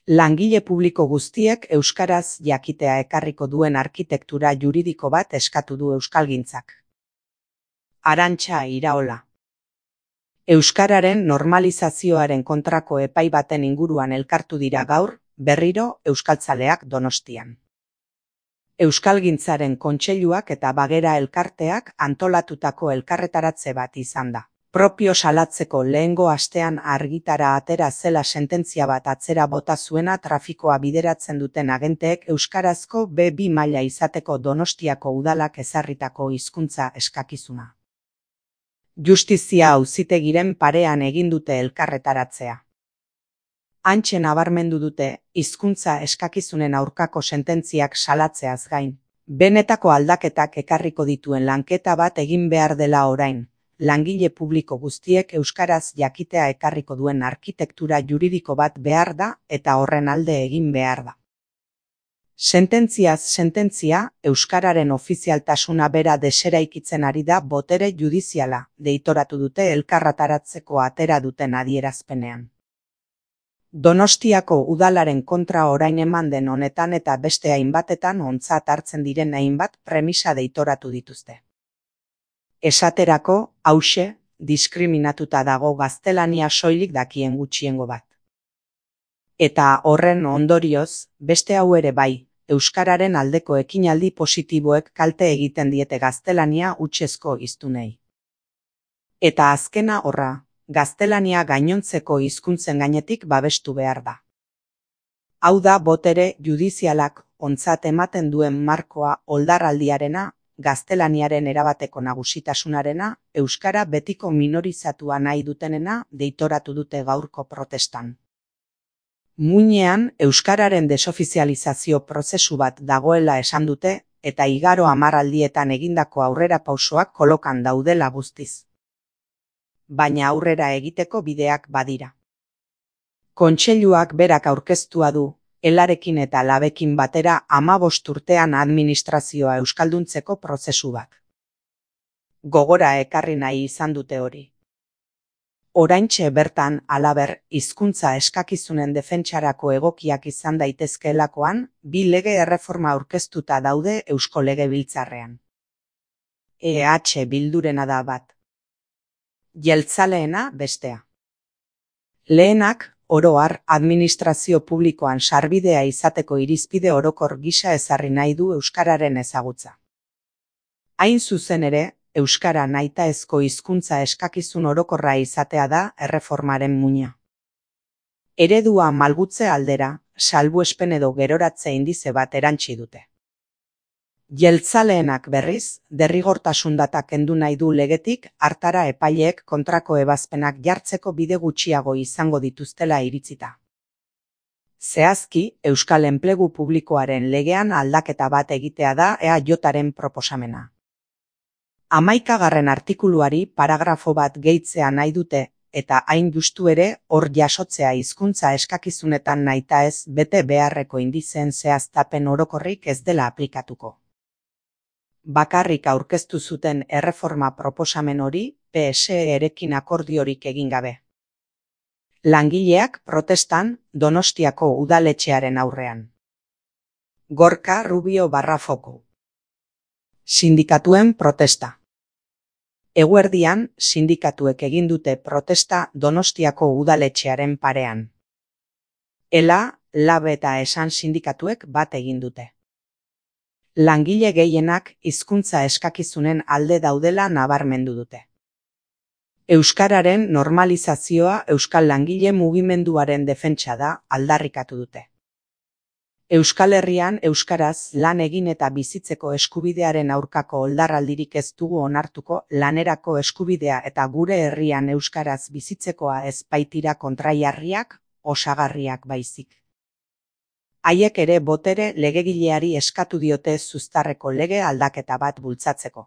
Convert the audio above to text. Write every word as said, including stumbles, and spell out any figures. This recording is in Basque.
Langile publiko guztiek euskaraz jakitea ekarriko duen arkitektura juridiko bat eskatu du euskalgintzak. Arantxa Iraola. Euskararen normalizazioaren kontrako epai baten inguruan elkartu dira gaur, berriro euskaltzaleak Donostian. Euskalgintzaren kontseiluak eta Bagera elkarteak antolatutako elkarretaratze bat izan da. Propio salatzeko lehengo astean argitara atera zela sententzia bat atzera bota zuena trafikoa bideratzen duten agenteek euskarazko be bi maila izateko Donostiako udalak ezarritako hizkuntza eskakizuna. Justizia auzitegiren parean egin dute elkarretaratzea. Hantxe nabarmendu dute, hizkuntza eskakizunen aurkako sententziak salatzeaz gain. Benetako aldaketak ekarriko dituen lanketa bat egin behar dela orain. Langile publiko guztiek euskaraz jakitea ekarriko duen arkitektura juridiko bat behar da eta horren alde egin behar da. Sententziaz sententzia, euskararen ofizialtasuna bera deseraikitzen ari da botere judiziala, deitoratu dute elkarretaratzeko atera duten adierazpenean. Donostiako udalaren kontra orain eman den honetan eta beste hainbatetan ontzat hartzen diren hainbat premisa deitoratu dituzte. Esaterako, hauxe, diskriminatuta dago gaztelania soilik dakien gutxiengo bat. Eta horren ondorioz, beste hau ere bai, euskararen aldeko ekinaldi positiboek kalte egiten diete gaztelania hutsezko hiztunei. Eta azkena horra, gaztelania gainontzeko hizkuntzen gainetik babestu behar da. Hau da botere judizialak ontzat ematen duen markoa oldarraldiarena, gaztelaniaren erabateko nagusitasunarena, euskara betiko minorizatua nahi dutenena deitoratu dute gaurko protestan. Muinean, euskararen desofizializazio prozesu bat dagoela esan dute, eta igaro hamarraldietan egindako aurrera pausoak kolokan daudela guztiz. Baina aurrera egiteko bideak badira. Kontseiluak berak aurkeztua du, Elarekin eta Labekin batera hamabost urtean administrazioa euskalduntzeko prozesu bat. Gogora ekarri nahi izan dute hori. Oraintxe bertan, halaber, hizkuntza eskakizunen defentsarako egokiak izan daitezkeelakoan, bi lege erreforma aurkeztuta daude Eusko Legebiltzarrean. E H Bildurena da bat. Jeltzaleena bestea. Lehenak, oro har, administrazio publikoan sarbidea izateko irizpide orokor gisa ezarri nahi du euskararen ezagutza. Hain zuzen ere, euskara nahitaezko hizkuntza eskakizun orokorra izatea da erreformaren muina. Eredua malgutze aldera, salbuespen edo geroratze indize bat erantsi dute. Jeltzaleenak berriz, derrigortasun data kendu nahi du legetik, hartara epaileek kontrako ebazpenak jartzeko bide gutxiago izango dituztela iritzita. Zehazki, Euskal Enplegu Publikoaren legean aldaketa bat egitea da E A Jaren proposamena. Hamaikagarren artikuluari paragrafo bat gehitzea nahi dute, eta hain justu ere, hor jasotzea hizkuntza eskakizunetan nahitaez bete beharreko indizeen zehaztapen orokorrik ez dela aplikatuko. Bakarrik aurkeztu zuten erreforma proposamen hori P S E-rekin akordiorik egin gabe. Langileak protestan Donostiako udaletxearen aurrean. Gorka Rubio Barrafoko. Sindikatuen protesta. Eguerdian, sindikatuek egin dute protesta Donostiako udaletxearen parean. Ela, Lab eta Esan sindikatuek bat egin dute. Langile gehienak hizkuntza eskakizunen alde daudela nabarmendu dute. Euskararen normalizazioa euskal langile mugimenduaren defentsa da aldarrikatu dute. Euskal Herrian euskaraz lan egin eta bizitzeko eskubidearen aurkako oldarraldirik ez dugu onartuko, lanerako eskubidea eta gure herrian euskaraz bizitzekoa ez baitira kontraiarriak, osagarriak baizik. Haiek ere botere legegileari eskatu diote zuztarreko lege aldaketa bat bultzatzeko.